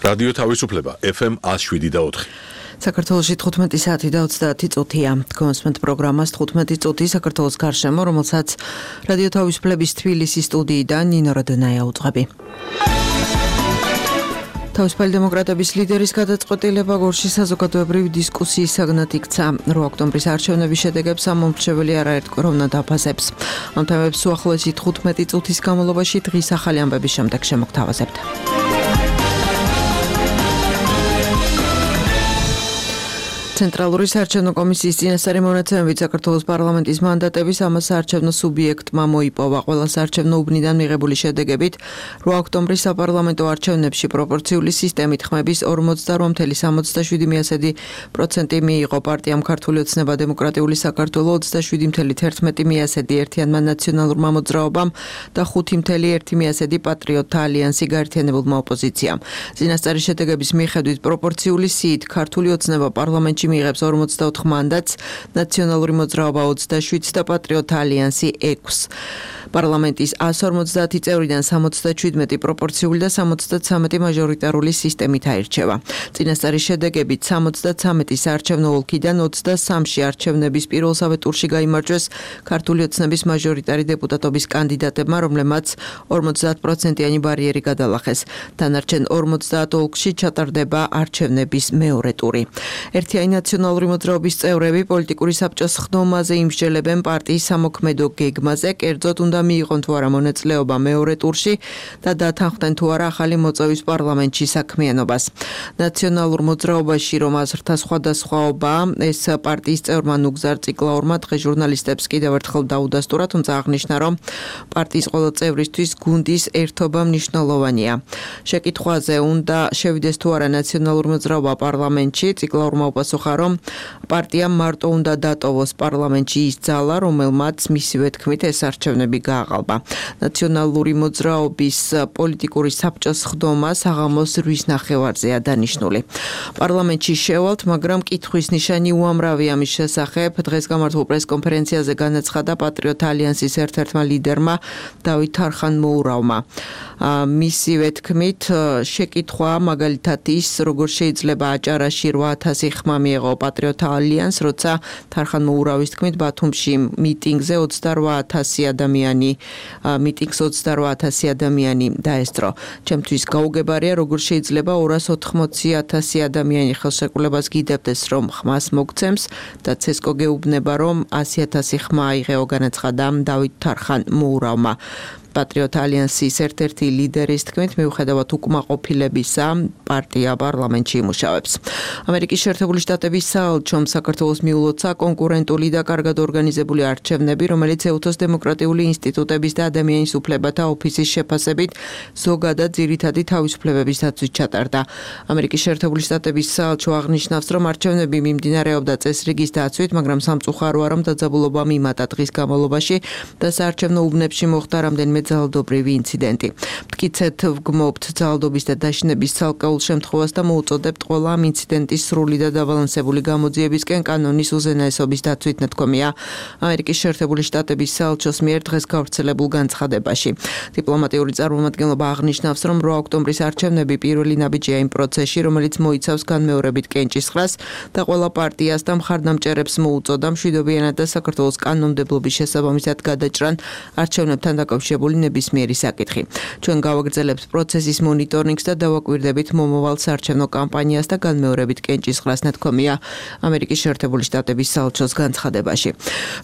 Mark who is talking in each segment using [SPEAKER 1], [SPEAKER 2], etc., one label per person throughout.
[SPEAKER 1] რადიო თავისუფლება FM 107.4.
[SPEAKER 2] საქართველოში 15 საათი და 30 წუთია. გონსმენთ პროგრამას 15 წუთი საქართველოს გარშემო, რომელსაც რადიო თავისუფლების თბილისის სტუდიიდან ნინო როდონაია უძღვები. თავისუფალი დემოკრატების ლიდერის გადაწყვეტილება გორში საზოგადოებრივი დისკუსიის საგნად იქცა. 8 ოქტომბრის არჩევნების შედეგებს ამომრჩეველი არაერთგვაროვნად აფასებს. ამ თემებს უახლოესი 15 წუთის განმავლობაში დღის ახალი ამბების შემდეგ შემოგთავაზებთ. ცენტრალური საარჩევნო კომისიის წინასწარი მონაცემებით საქართველოს პარლამენტის მანდატების ამას საარჩევნო სუბიექტმა მოიპოვა. ყველა საარჩევნო უბნიდან მიღებული შედეგებით 8 ოქტომბრის საპარლამენტო არჩევნებში პროპორციული სისტემით ხმების 48,77% მიიღო პარტიამ ქართული ოცნება დემოკრატიული საქართველო 27,11% ერთიანმა ნაციონალურმა მოძრაობამ და 5,1% პატრიოტთა ალიანსი გაერთიანებულმა ოპოზიციამ. წინასწარი შედეგების მიხედვით პროპორციული სიით ქართული ოცნება პარლამენტში მიიღებს 44 მანდატს, ნაციონალური მოძრაობა 27 და პატრიოტთა ალიანსი 6. პარლამენტის 150 წევრიდან 77 პროპორციული და 73 მაჟორიტარული სისტემით აირჩევა. წინასწარი შედეგებით 73 საარჩევნო ოლქიდან 23-ში არჩევნების პირველსავე ტურში გაიმარჯვეს ქართული ოცნების მაჟორიტარი დეპუტატობის კანდიდატებმა, რომლებმაც 50%-იანი ბარიერი გადალახეს. დანარჩენ 50 ოლქში ჩატარდება არჩევნების მეორე ტური. ერთიანი ნაციონალური მოძრაობის წევრები პოლიტიკური საბჭოს ხდომაზე იმსჯელებენ პარტიის სამოქმედო გეგმაზე, კერძოდ უნდა მიიღონ თუ არა მონაწილეობა მეორე ტურში და დათანხმდნენ თუ არა ახალი მოწვევის პარლამენტში საქმიანობას. ნაციონალურ მოძრაობაში რომ აზრთა სხვადასხვაობა, ეს პარტიის წევრმა ნუგზარ ციკლაურმა დღეს ჟურნალისტებს კიდევ ერთხელ დაუდასტურა, თუმცა აღნიშნა, რომ პარტიის ყველა წევრისთვის გუნდის ერთობა მნიშვნელოვანია. შეკითხვაზე უნდა შევიდეს თუ არა ნაციონალური მოძრაობა პარლამენტში, ციკლაურმა უპასუხა, რომ პარტიამ მარტო უნდა დატოვოს პარლამენტში ის ძალა, რომელმაც მისივე თქმით ეს არჩევნები გააყალბა. ნაციონალური მოძრაობის პოლიტიკური საბჭოს ხდომა საღამოს 8 ნახევარზეა დანიშნული. პარლამენტში შევალთ, მაგრამ კითხვის ნიშანი უამრავია ამის შესახებ. დღეს გამართულ პრესკონფერენციაზე განაცხადა პატრიოტთა ალიანსის ერთ-ერთმა ლიდერმა დავით თარხან-მოურავმა. მისივე თქმით, შეკითხვა მაგალითად ის, როგორ შეიძლება აჭარაში 8000 ხმა მიეღო პატრიოტთა ალიანს, როცა თარხან-მოურავის თქმით ბათუმში მიტინგზე 28,000 ადამიანი მიტინგს 28,000 ადამიანი დაესწრო. ჩემთვის გაუგებარია, როგორ შეიძლება 280,000 ადამიანი ხელშეკრულებას გიდებდეს, რომ ხმას მოგცემს და ცესკო გეუბნება, რომ 100,000 ხმა აიღეო, განაცხადა დავით თარხან-მოურავმა. პატრიოტთა ალიანსის ერთ-ერთი ლიდერის თქმით, მიუხედავად უკმაყოფილებისა, პარტია პარლამენტში იმუშავებს. ამერიკის შეერთებული შტატების საელჩომ საქართველოს მიულოცა კონკურენტული და კარგად ორგანიზებული არჩევნები, რომელიც ეუთოს დემოკრატიული ინსტიტუტების და ადამიანის უფლებათა ოფისის შეფასებით ზოგადად ძირითადი თავისუფლებების დაცვით ჩატარდა. ამერიკის შეერთებული შტატების საელჩო აღნიშნავს, რომ არჩევნები მიმდინარეობდა წესრიგის დაცვით, მაგრამ სამწუხაროა, რომ დაძაბულობა მიმატა დღის განმავლობაში და საარჩევნო უბნებში მოხდა რამდენიმე ძალადობრივი ინციდენტი. მტკიცედ ვგმობთ ძალადობის და დაშინების ცალკეულ შემთხვევას და მოუწოდებთ ყველა ამ ინციდენტის სრული და დაბალანსებული გამოძიებისკენ კანონის უზენაესობის დაცვით, ნათქვამია ამერიკის შეერთებული შტატების საელჩოს მიერ დღეს გავრცელებულ განცხადებაში. დიპლომატიური წარმომადგენლობა აღნიშნავს, რომ 8 ოქტომბრის არჩევნები პირველი ნაბიჯია იმ პროცესში, რომელიც მოიცავს განმეორებით კენჭისყრას და ყველა პარტიას და მხარდამჭერებს მოუწოდა მშვიდობიანად და საქართველოს კანონმდებლობის შესაბამისად გადაჭრან არჩევნებთან დაკავშირებული ნებისმიერი საკითხი. ჩვენ გავაგრძელებთ პროცესის მონიტორინგს და დავაკვირდებით მომავალ საარჩევნო კამპანიას და განმეორებით კენჭისყრას, ნათქვამია ამერიკის შეერთებული შტატების საელჩოს განცხადებაში.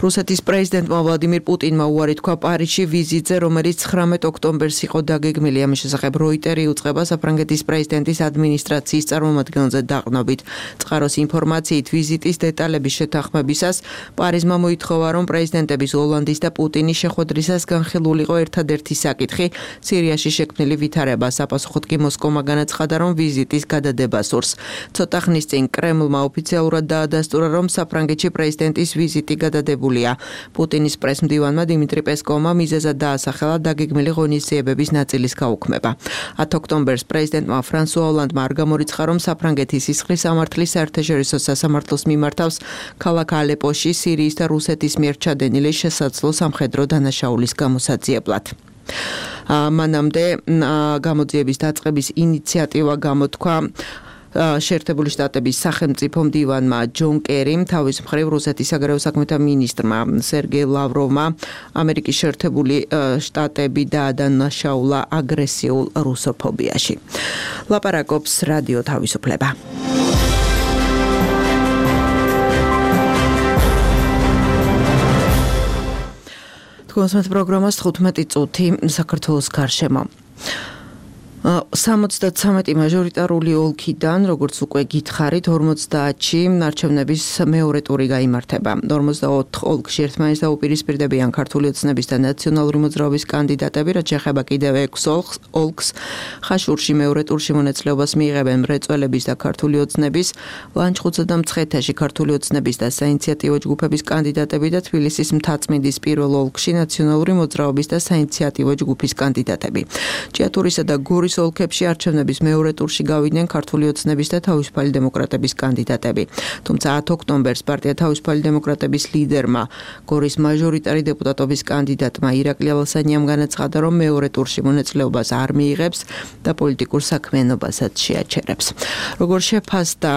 [SPEAKER 2] რუსეთის პრეზიდენტმა ვლადიმირ პუტინმა უარი თქვა პარიზში ვიზიტზე, რომელიც 19 ოქტომბერს იყო დაგეგმილი. ამის შესახებ როიტერი უწყება საფრანგეთის პრეზიდენტის ადმინისტრაციის წარმომადგენელზე დაყრდნობით. წყაროს ინფორმაციით ვიზიტის დეტალების შეთანხმებისას პარიზმა მოითხოვა, რომ პრეზიდენტების ოლანდის და პუტინის შეხვედრისას განხილულიყო ერთადერთი საკითხი სირიაში შექმნილი ვითარება. საპასუხოდ კი მოსკოვმა განაცხადა, რომ ვიზიტის გადადება სურს. ცოტა ხნის წინ კრემლმა ოფიციალურად დაადასტურა, რომ საფრანგეთში პრეზიდენტის ვიზიტი გადადებულია. პუტინის პრესმდივანმა დიმიტრი პესკოვმა მიზეზად დაასახელა დაგეგმილი ღონისძიებების ნაწილის გაუქმება. 10 ოქტომბერს პრეზიდენტმა ფრანსუა ოლანდმა არ გამორიცხა, რომ საფრანგეთი სისხლის სამართლის საერთაშორისო სასამართლოს მიმართავს ქალაქ ალეპოში სირიის და რუსეთის მიერ ჩადენილი შესაძლო სამხედრო დანაშაულის გამოსაძიებლად. მანამდე გამოძიების დაწყების ინიციატივა გამოთქვა შეერთებული შტატების სახელმწიფო მდივანმა ჯონ კერიმ, თავის მხრივ რუსეთის საგარეო საქმეთა მინისტრმა სერგეი ლავროვმა ამერიკის შეერთებული შტატები დაადანაშაულა აგრესიულ რუსოფობიაში. ლაპარაკობს რადიო თავისუფლება. თქვენს პროგრამას 15 წუთი საქართველოს გარშემო. 73 მაჟორიტარული ოლქიდან, როგორც უკვე გითხარით, 50-ში არჩევნების მეორე ტური გაიმართება. 44 ოლქში ერთმანეთს დაუპირისპირდებიან ქართული ოცნების და ნაციონალური მოძრაობის კანდიდატები, რაც შეეხება კიდევ 6 ოლქს. ხაშურში მეორე ტურში მონაწილეობას მიიღებენ მრეწველების და ქართული ოცნების, ლანჩხუთსა და მცხეთაში ქართული ოცნების და საინიციატივო ჯგუფების კანდიდატები და თბილისის მთაწმინდის პირველ ოლქში ნაციონალური მოძრაობის და საინიციატივო ჯგუფის კანდიდატები. ჭიათურისა და გორის ოლქებში არჩევნების მეორე ტურში გავიდნენ ქართული ოცნების და თავისუფალი დემოკრატების კანდიდატები. თუმცა 10 ოქტომბერს პარტია თავისუფალი დემოკრატების ლიდერმა, გორის მაჟორიტარი დეპუტატობის კანდიდატმა ირაკლი ალასანიამ განაცხადა, რომ მეორე ტურში მონაწილეობას არ მიიღებს და პოლიტიკურ საქმიანობასაც შეაჩერებს. როგორ შეფასდა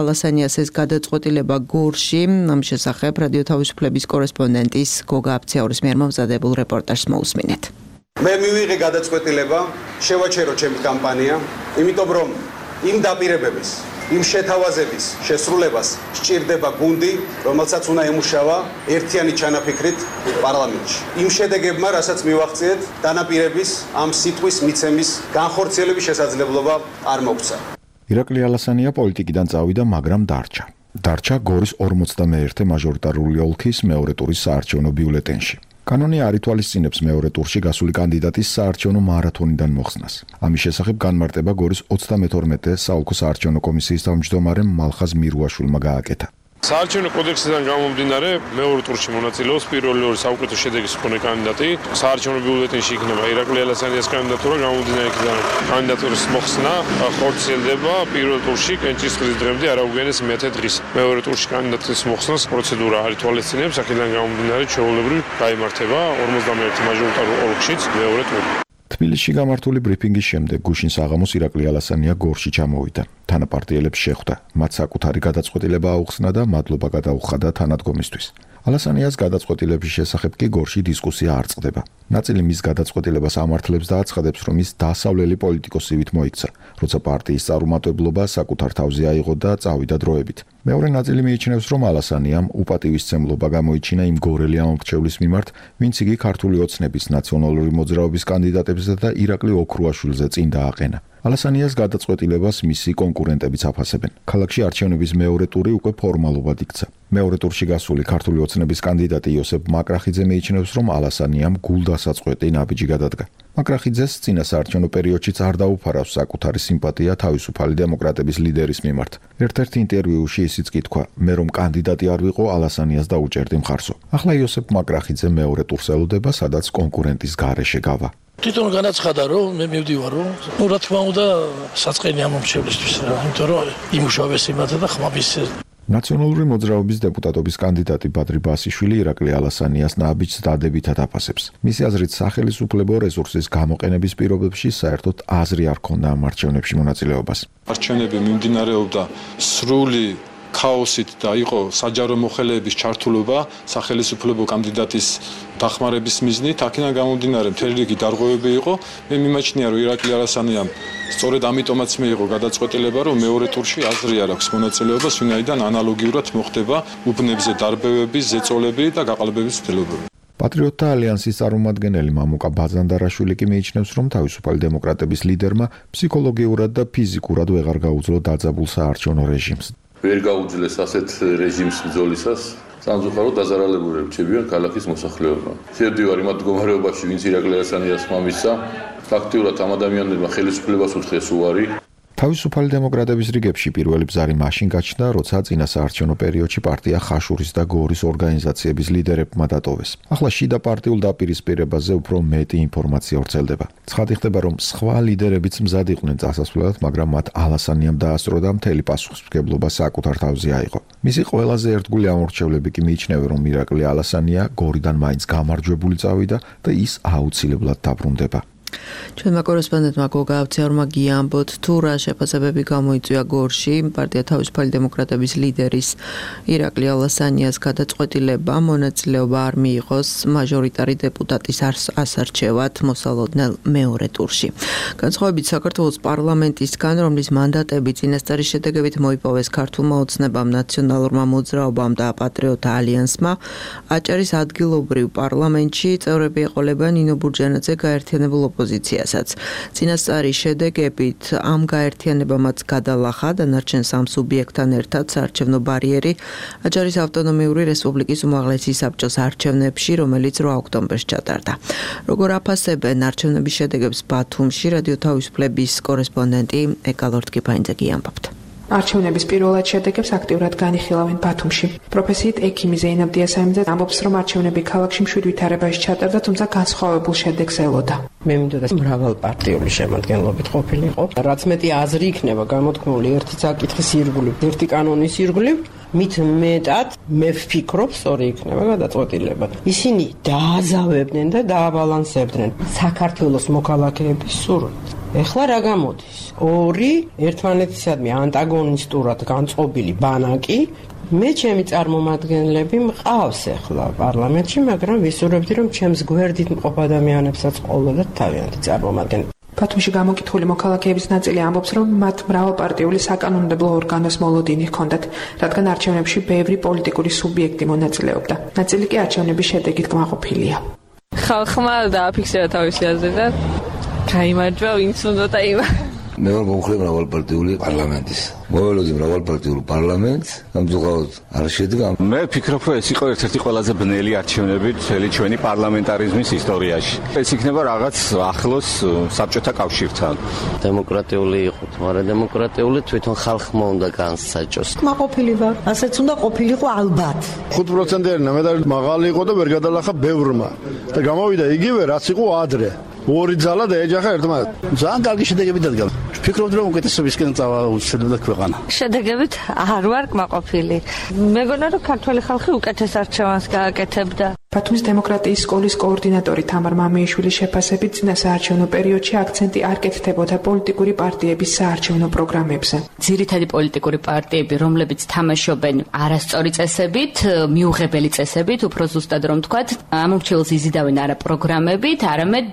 [SPEAKER 2] ალასანიას ეს გადაწყვეტილება გორში, ამ შესახებ რადიო თავისუფლების კორესპონდენტის გოგა აფციაურის მიერ მომზადებულ რეპორტაჟს მოусმინეთ.
[SPEAKER 3] მე მივიღე გადაწყვეტილება შევაჩერო ჩემი კამპანია, იმიტომ რომ იმ დაპირებების, იმ შეთავაზების შესრულებას სჭირდება გუნდი, რომელსაც უნდა ემუშავა ერთიანი ჩანაფიქრით პარლამენტში. იმ შედეგებმა, რასაც მივახციეთ, დანაპირების ამ სიტყვის მიცემის განხორციელების შესაძლებლობა არ მოგვცა.
[SPEAKER 4] ირაკლი ალასანია პოლიტიკიდან წავიდა, მაგრამ დარჩა გორის 51 მაჟორიტარული ოლქის მეორე ტურის საარჩევნო ბიულეტენში. კანონი არ ითვალისწინებს მეორე ტურში გასული კანდიდატის საარჩევნო მარათონიდან მოხსნას. ამის შესახებ განმარტება გორის 32 საოლქო საარჩევნო კომისიის თავმჯდომარემ მალხაზ მირუაშვილმა გააკეთა.
[SPEAKER 5] საარჩევნო კოდექსიდან გამომდინარე, მეორე ტურში მონაწილეობს პირველი ორი საუკეთესო შედეგის მქონე კანდიდატი. საარჩევნო ბიულეტენში იქნება ირაკლი ალასანიას კანდიდატურა, გამომდინარე იქიდან კანდიდატურის მოხსნა ხორციელდება პირველ ტურში კენჭისყრის დღემდე არ აუგენეს მე-10 დღის. მეორე ტურში კანდიდატის მოხსნას პროცედურა არ ითვალისწინებს, აქედან გამომდინარე ჩვეულებრივ გაიმართება 51 მაჟორიტარულ ოლქშიც მეორე ტური.
[SPEAKER 4] თბილისში გამართული ბრიფინგის შემდეგ გუშინ საღამოს ირაკლი ალასანია გორში ჩამოვიდა. თანაპარტიელებს შეხვდა, მათ საკუთარი გადაწყვეტილება აუხსნა და მადლობა გადაუხადა თანადგომისთვის. ალასანიას გადაწყვეტილების შესახებ კი გორში დისკუსია არ წყდება. ნაწილი მის გადაწყვეტილებას ამართლებს და აცხადებს, რომ ის დასავლელი პოლიტიკოსივით მოიქცა, როცა პარტიის წარუმატებლობა საკუთარ თავზე აიღო და წავიდა დროებით. მეორე ნაწილი მიიჩნევს, რომ ალასანიამ უპატივისცემლობა გამოიჩინა იმ გორელი ამომრჩევლის მიმართ, ვინც იგი ქართული ოცნების ნაციონალური მოძრაობის კანდიდატებზე და ირაკლი ოქრუაშვილზე წინ დააყენა. ალასანიას გადაწყვეტილებას მისი კონკურენტებიც აფასებენ. ქალაქში არჩევნების მეორე ტური უკვე ფორმალურად იქცა. მეორე ტურში გასული ქართული ოცნების კანდიდატი იოსებ მაკრახიძე მიიჩნევს, რომ ალასანიამ გულდასაწყვეტი ნაბიჯი გადადგა. მაკრახიძეს წინა საარჩევნო პერიოდშიც არ დაუფარავს საკუთარი სიმპათია თავისუფალი დემოკრატების ლიდერის მიმართ. ერთ-ერთ ინტერვიუში ისიც კი თქვა, მე რომ კანდიდატი არ ვიყო, ალასანიას დაუჭერდი მხარსო. ახლა იოსებ მაკრახიძე მეორე ტურს ელოდება, სადაც კონკურენტის გარეშე გავა.
[SPEAKER 6] თვითონ განაცხადა, რომ მე მივდივარ, რომ რა თქმა უნდა საწყენი ამომრჩევლისთვის რა, იმიტომ რომ იმუშავეს იმათა და ხმების
[SPEAKER 4] ნაციონალური მოძრაობის დეპუტატობის კანდიდატი ბადრი ბასიშვილი ირაკლი ალასანიას ნაბიჯს დადებითად აფასებს. მისი აზრით, სახელისუფლებო რესურსის გამოყენების პირობებში საერთოდ აზრი არ ჰქონდა ამ არჩევნებში მონაწილეობას.
[SPEAKER 7] არჩევნები მიმდინარეობდა სრული ქაოსით და იყო საჯარო მოხელეების ჩართულობა სახელისუფლებო კანდიდატის დახმარების მიზნით, აქედან გამომდინარე მთელი რიგი დარღვევები იყო. მე მიმაჩნია, რომ ირაკლი ალასანიამ სწორედ ამიტომაც მიიღო გადაწყვეტილება, რომ მეორე ტურში აზრი არ აქვს მონაწილეობას, ვინაიდან ანალოგიურად მოხდება უბნებზე დარბევების, ზეწოლები და გაყალბების ცდილობები.
[SPEAKER 4] პატრიოტთა ალიანსის წარმომადგენელი მამუკა ბაზანდარაშვილი კი მიიჩნევს, რომ თავისუფალი დემოკრატების ლიდერმა ფსიქოლოგიურად და ფიზიკურად ვეღარ გაუძლო დაძაბულ საარჩევნო რეჟიმს.
[SPEAKER 8] ვერ გაუძლეს ასეთ რეჟიმს ბრძოლისას, სამწუხაროდ დაზარალებულები რჩებიან ქალაქის მოსახლეობა. შევდივარ იმ მდგომარეობაში, ვინც ირაკლი ალასანიას მამისა, ფაქტიურად ამ ადამიანებმა ხელისუფლებას უთხეს უარი.
[SPEAKER 4] თავისუფალი დემოკრატების რიგებში პირველი ბზარი მაშინ გაჩნდა, როცა წინა საარჩევნო პერიოდში პარტია ხაშურის და გორის ორგანიზაციების ლიდერებმა დატოვეს. ახლა შიდა პარტიულ დაპირისპირებაზე უფრო მეტი ინფორმაცია ვრცელდება. ცხადი ხდება, რომ სხვა ლიდერებიც მზად იყვნენ წასასვლელად, მაგრამ მათ ალასანიამ დაასწრო და მთელი პასუხისმგებლობა საკუთარ თავზე აიღო. მისი ყველაზე ერთგული ამორჩევლები კი მიიჩნევენ, რომ ირაკლი ალასანია გორიდან მაინც გამარჯვებული წავიდა და ის აუცილებლად დაბრუნდება. ჩვენმა კორესპონდენტმა გოგა ავციარმა გიამბოთ თუ რა შეფასებები გამოიწვია გორში პარტია თავისუფალი დემოკრატების ლიდერის ირაკლი ალასანიას გადაწყვეტილება მონაწილეობა არ მიიღოს მაჟორიტარი დეპუტატის ასარჩევად მოსალოდნელ მეორე ტურში. განსხვავებით საქართველოს პარლამენტისგან, რომლის მანდატები წინასწარი შედეგებით მოიპოვეს ქართულმა ოცნებამ, ნაციონალურმა მოძრაობამ და პატრიოტთა ალიანსმა, აჭარის ადგილობრივ პარლამენტში წევრები ეყოლებიან ნინო ბურჯანაძე გაერთიანებულ ოპოზიციასაც. წინასწარი შედეგებით ამ გაერთიანებამაც გადალახა დანარჩენ სამ სუბიექტთან ერთად საარჩევნო ბარიერი აჭარის ავტონომიური რესპუბლიკის უმაღლესი საბჭოს არჩევნებში, რომელიც 8 ოქტომბერს ჩატარდა. როგორ აფასებენ არჩევნების შედეგებს ბათუმში, რადიო თავისუფლების კორესპონდენტი ეკალორტკიფაინძე გიამბობთ.
[SPEAKER 9] არჩევნების პირველად შედეგებს აქტიურად განიხილავენ ბათუმში. პროფესიით ექიმი ზეინაბ დიასამიძე ამბობს, რომ არჩევნები ქალაქში მშვიდ ვითარებაში ჩატარდა, თუმცა განსხვავებულ შედეგს ელოდა.
[SPEAKER 10] მე მინდოდა მრავალპარტიული შემადგენლობით ყოფილიყო. რაც მეტი აზრი იქნება გამოთქმული ერთი საკითხის ირგვლივ, ერთი კანონის ირგვლივ, მით მეტად მე ვფიქრობ, სწორი იქნება გადაწყვეტილება. ისინი დააზავებდნენ და დააბალანსებდნენ საქართველოს მოქალაქეების სურვილს. ეხლა რა გამოდის? ორი ერთმანეთისადმი ანტაგონისტურად განწყობილი ბანაკი. მე ჩემი წარმომადგენლები მყავს ახლა პარლამენტში, მაგრამ ვისურვებდი, რომ ჩემს გვერდით მყოფ ადამიანებსაც ყოლოდათ თავიანთი წარმომადგენლები.
[SPEAKER 9] ბათუმში გამოკითხული მოქალაქეების ნაწილი ამბობს, რომ მათ მრავალპარტიული საკანონმდებლო ორგანოს მოლოდინი ჰქონდათ, რადგან არჩევნებში ბევრი პოლიტიკური სუბიექტი მონაწილეობდა. ნაწილი კი არჩევნების შედეგით კმაყოფილია.
[SPEAKER 11] ხალხმა დააფიქსირა თავისი აზრი და გაიმარჯვა ვინც უნდა დაიმარჯვა.
[SPEAKER 12] მე ვარ მომხრე მრავალპარტიული პარლამენტის. მოველოდი მრავალპარტიულ პარლამენტს, ამძუღავად არ შედგა.
[SPEAKER 13] მე ვფიქრობ, რომ ეს იყო ერთ-ერთი ყველაზე ბნელი არჩევნები მთელი ჩვენი პარლამენტარიზმის ისტორიაში. ეს იქნება რაღაც ახლოს საბჭოთა კავშირთან.
[SPEAKER 14] დემოკრატიული იყო, მაგრამ დემოკრატიული თვითონ ხალხმა უნდა განსაჭოს.
[SPEAKER 15] კმაყოფილი ვარ, ასეც უნდა ყოფილიყო ალბათ.
[SPEAKER 16] 5%-იანი ნამედარი მაღალი იყო და ვერ გადალახა ბევრმა. და გამოვიდა იგივე, რაც იყო ადრე. ორი ძალა დაეჯახა ერთმანეთს. ძალიან კარგი შედეგები დადგა. ვფიქრობ, რომ უკეთესობისკენ წავა უშედეგდა ქვეყანა.
[SPEAKER 11] შედეგებით არ ვარ კმაყოფილი. მეგონა, რომ ქართველი ხალხი უკეთეს არჩევანს გააკეთებდა.
[SPEAKER 9] ბათუმის დემოკრატიის სკოლის კოორდინატორი თამარ მამიიშვილის შეფასებით წინა საარჩევნო პერიოდში აქცენტი არ კეთდებოდა პოლიტიკური პარტიების საარჩევნო პროგრამებზე.
[SPEAKER 17] ძირითადი პოლიტიკური პარტიები, რომლებიც თამაშობენ არასწორი წესებით, მიუღებელი წესებით, უფრო ზუსტად რომ ვთქვათ, ამორჩეულს იზიდავენ არა პროგრამებით, არამედ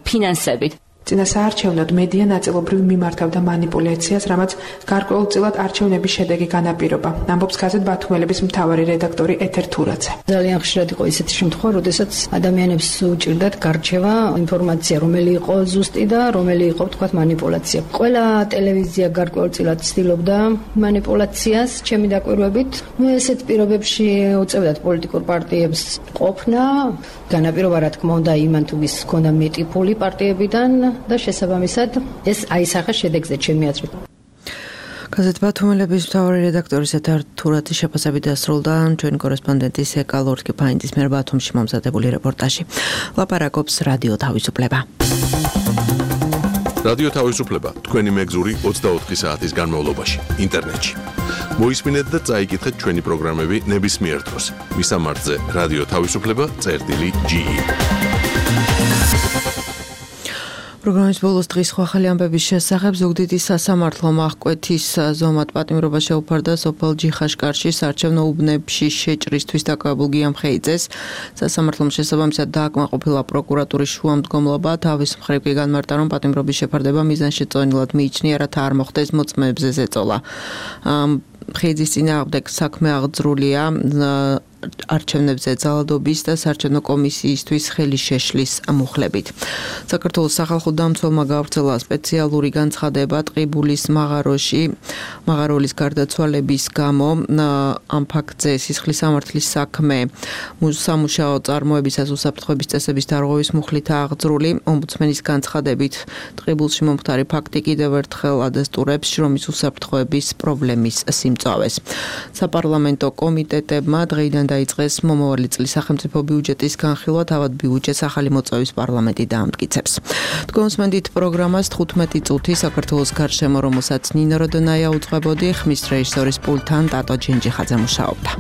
[SPEAKER 17] ფინანსებით.
[SPEAKER 9] წინა საარჩევნოდ მედია ნაწილობრივ მიმართავდა манипуляციას, რამაც გარკვეულწილად არჩევნების შედეგი განაპირობა. ამბობს გაზეთ ბათუმელების მთავარი რედაქტორი ეთერ თურაძე.
[SPEAKER 15] ძალიან ხშირად იყო ისეთი შემთხვევა, როდესაც ადამიანებს უჭირდათ გარჩევა ინფორმაცია, რომელი იყო ზუსტი და რომელი იყო, თქვათ, манипуляცია. ყველა ტელევიზია გარკვეულწილად ცდილობდა манипуляციას, ჩემი დაკვირვებით. ესეთ პირობებში უწევდათ პოლიტიკურ პარტიებს ყოფნა, განაპირობა რა თქმა უნდა იმან თუ ვის ჰქონდა მეტი ფული პარტიებიდან და შესაბამისად ეს აისახა შედეგზე ჩემი აზრით.
[SPEAKER 2] გაზეთ ბათუმელების მთავარი რედაქტორის ეთერ თურაძის შეფასებით დასრულდა ჩვენი კორესპონდენტის ეკალორტკიფაინძის მიერ ბათუმში მომზადებული რეპორტაჟი. ლაპარაკობს რადიო თავისუფლება.
[SPEAKER 1] რადიო თავისუფლება თქვენი მეგზური 24 საათის განმავლობაში ინტერნეტში. მოისმინეთ და წაიკითხეთ ჩვენი პროგრამები ნებისმიერ დროს. მისამართზე რადიო თავისუფლება.ge.
[SPEAKER 2] პროგრამის ბოლოს დღის სხვა ახალი ამბების შესახებ ზუგდიდის სასამართლომ აღკვეთის ზომად პატიმრობა შეუფარდა სოფელ ჯიხაშკარში საარჩევნო უბნებში შეჭრისთვის დაკავებულ გიამ ხეიძეს. სასამართლომ შესაბამისად დააკმაყოფილა პროკურატურის შუამდგომლობა, თავის მხრივ კი განმარტა, რომ პატიმრობის შეფარდება მიზანშეწონილად მიიჩნია, რათა არ მოხდეს მოწმეებზე ზეწოლა. ხეიძის წინააღმდეგ საქმე აღძრულია არჩევნებზე ძალადობის და საარჩევნო კომისიისთვის ხელის შეშლის მუხლებით. საქართველოს სახალხო დამცველმა გაავრცელა სპეციალური განცხადება ტყიბულის მაღაროლის გარდაცვალების გამო. Ამ ფაქტზე სისხლის სამართლის საქმე სამუშაო წარმოებისას უსაფრთხოების წესების დარღვევის მუხლითაა აღძრული. ომბუდსმენის განცხადებით ტყიბულში მომხდარი ფაქტი კიდევ ერთხელ ადასტურებს შრომის უსაფრთხოების პრობლემის სიმწავეს. საპარლამენტო კომიტეტებმა დღეიდან დაიწყეს მომავალი წლის სახელმწიფო ბიუჯეტის განხილვა, თავად ბიუჯეტს ახალი მოწვევის პარლამენტი დაამტკიცებს. დგომსმენდით პროგრამას 15 წუთი საქართველოს გარშემო, რომელსაც ნინო როდონაია უძღვებოდი, ხმის რეჟისორის პულტთან ტატო ჯინჯიხაძე მუშაობდა.